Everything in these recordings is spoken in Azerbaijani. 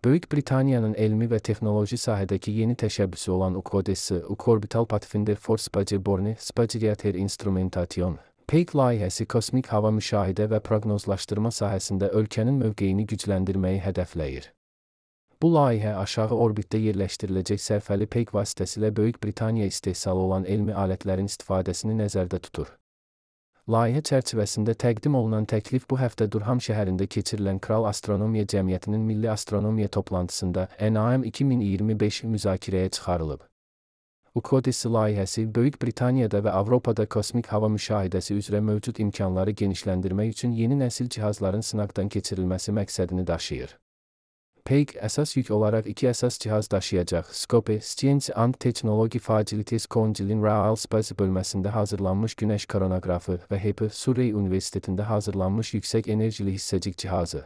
Böyük Britaniyanın elmi və texnoloji sahədəki yeni təşəbbüsü olan UKODES, Orbital Pathfinder for Spaceborne Spacereator Instrumentation, PEG layihəsi kosmik hava müşahidə və proqnozlaşdırma sahəsində ölkənin mövqeyini gücləndirməyi hədəfləyir. Bu layihə aşağı orbitdə yerləşdiriləcək sərfəli PEG vasitəsilə Böyük Britaniya istehsalı olan elmi alətlərin istifadəsini nəzərdə tutur. Layihə çərçivəsində təqdim olunan təklif bu həftə Durham şəhərində keçirilən Kral Astronomiya Cəmiyyətinin Milli Astronomiya toplantısında NAM 2025 müzakirəyə çıxarılıb. UKODES layihəsi Böyük Britaniyada və Avropada kosmik hava müşahidəsi üzrə mövcud imkanları genişləndirmək üçün yeni nəsil cihazların sınaqdan keçirilməsi məqsədini daşıyır. PEG əsas yük olaraq iki əsas cihaz daşıyacaq. Scope, Science and Technology Facilities Council'in Royal Space bölməsində hazırlanmış günəş koronoqrafı və HEP, Surrey Universitetində hazırlanmış yüksək enerjili hissəcik cihazı.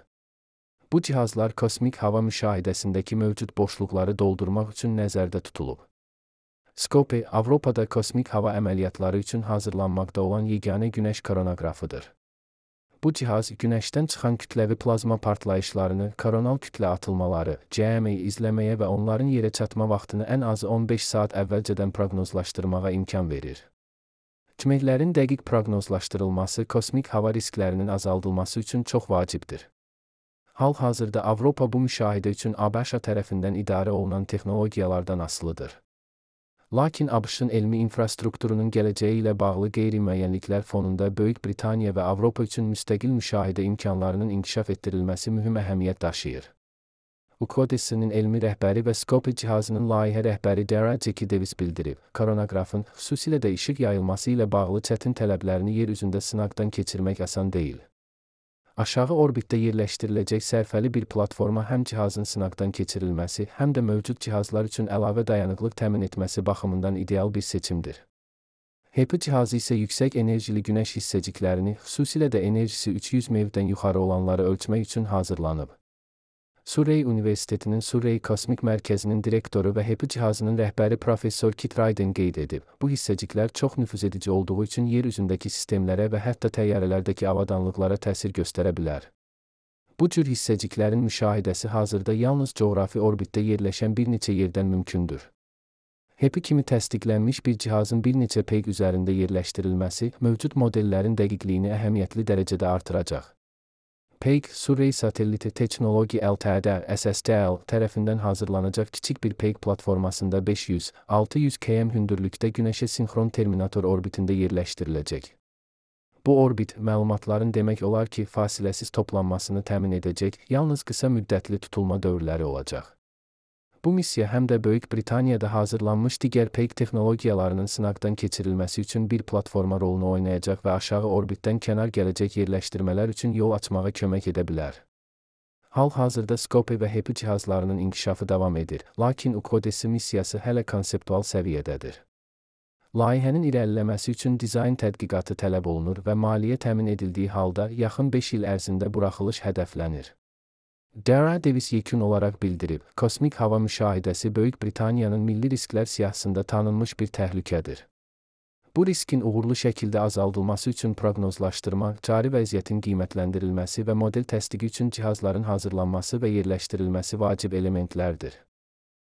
Bu cihazlar kosmik hava müşahidəsindəki mövcud boşluqları doldurmaq üçün nəzərdə tutulub. Scope, Avropada kosmik hava əməliyyatları üçün hazırlanmaqda olan yeganə günəş koronoqrafıdır. Bu cihaz, günəşdən çıxan kütləvi plazma partlayışlarını, koronal kütlə atılmaları, CME izləməyə və onların yerə çatma vaxtını ən azı 15 saat əvvəlcədən proqnozlaşdırmağa imkan verir. Kiməklərin dəqiq proqnozlaşdırılması kosmik hava risklərinin azaldılması üçün çox vacibdir. Hal-hazırda Avropa bu müşahidə üçün ABŞ tərəfindən idarə olunan texnologiyalardan asılıdır. Lakin ABŞ-ın elmi infrastrukturunun gələcəyi ilə bağlı qeyri-müəyyənliklər fonunda Böyük Britaniya və Avropa üçün müstəqil müşahidə imkanlarının inkişaf etdirilməsi mühüm əhəmiyyət daşıyır. UKODES-nin elmi rəhbəri və Scope cihazının layihə rəhbəri Dara Jackie Davis bildirib, koronoqrafın, xüsusilə də işıq yayılması ilə bağlı çətin tələblərini yer üzündə sınaqdan keçirmək asan deyil. Aşağı orbitdə yerləşdiriləcək sərfəli bir platforma həm cihazın sınaqdan keçirilməsi, həm də mövcud cihazlar üçün əlavə dayanıqlıq təmin etməsi baxımından ideal bir seçimdir. HEP cihazı isə yüksək enerjili günəş hissəciklərini, xüsusilə də enerjisi 300 MeV-dən yuxarı olanları ölçmək üçün hazırlanıb. Surrey Universitetinin Surrey Kosmik Mərkəzinin direktoru və HEP cihazının rəhbəri Professor Kit Ryden qeyd edib, bu hissəciklər çox nüfuz edici olduğu üçün yer üzündəki sistemlərə və hətta təyyarələrdəki avadanlıqlara təsir göstərə bilər. Bu cür hissəciklərin müşahidəsi hazırda yalnız coğrafi orbitdə yerləşən bir neçə yerdən mümkündür. HEP kimi təsdiqlənmiş bir cihazın bir neçə PEG üzərində yerləşdirilməsi, mövcud modellərin dəqiqliyini əhəmiyyətli dərəcədə artıracaq. PEG, Surrey Satellite Technology Ltd. SSTL tərəfindən hazırlanacaq kiçik bir PEG platformasında 500-600 km hündürlükdə günəşə sinxron terminator orbitində yerləşdiriləcək. Bu orbit, məlumatların demək olar ki, fasiləsiz toplanmasını təmin edəcək, yalnız qısa müddətli tutulma dövrləri olacaq. Bu missiya həm də Böyük Britaniyada hazırlanmış digər PEG texnologiyalarının sınaqdan keçirilməsi üçün bir platforma rolunu oynayacaq və aşağı orbitdən kənar gələcək yerləşdirmələr üçün yol açmağa kömək edə bilər. Hal-hazırda Scope və HEP cihazlarının inkişafı davam edir, lakin UKODES missiyası hələ konseptual səviyyədədir. Layihənin irəliləməsi üçün dizayn tədqiqatı tələb olunur və maliyyə təmin edildiyi halda yaxın 5 il ərzində buraxılış hədəflənir. Dara Davis yekun olaraq bildirib, kosmik hava müşahidəsi Böyük Britaniyanın milli risklər siyahısında tanınmış bir təhlükədir. Bu riskin uğurlu şəkildə azaldılması üçün proqnozlaşdırma, cari vəziyyətin qiymətləndirilməsi və model təsdiqi üçün cihazların hazırlanması və yerləşdirilməsi vacib elementlərdir.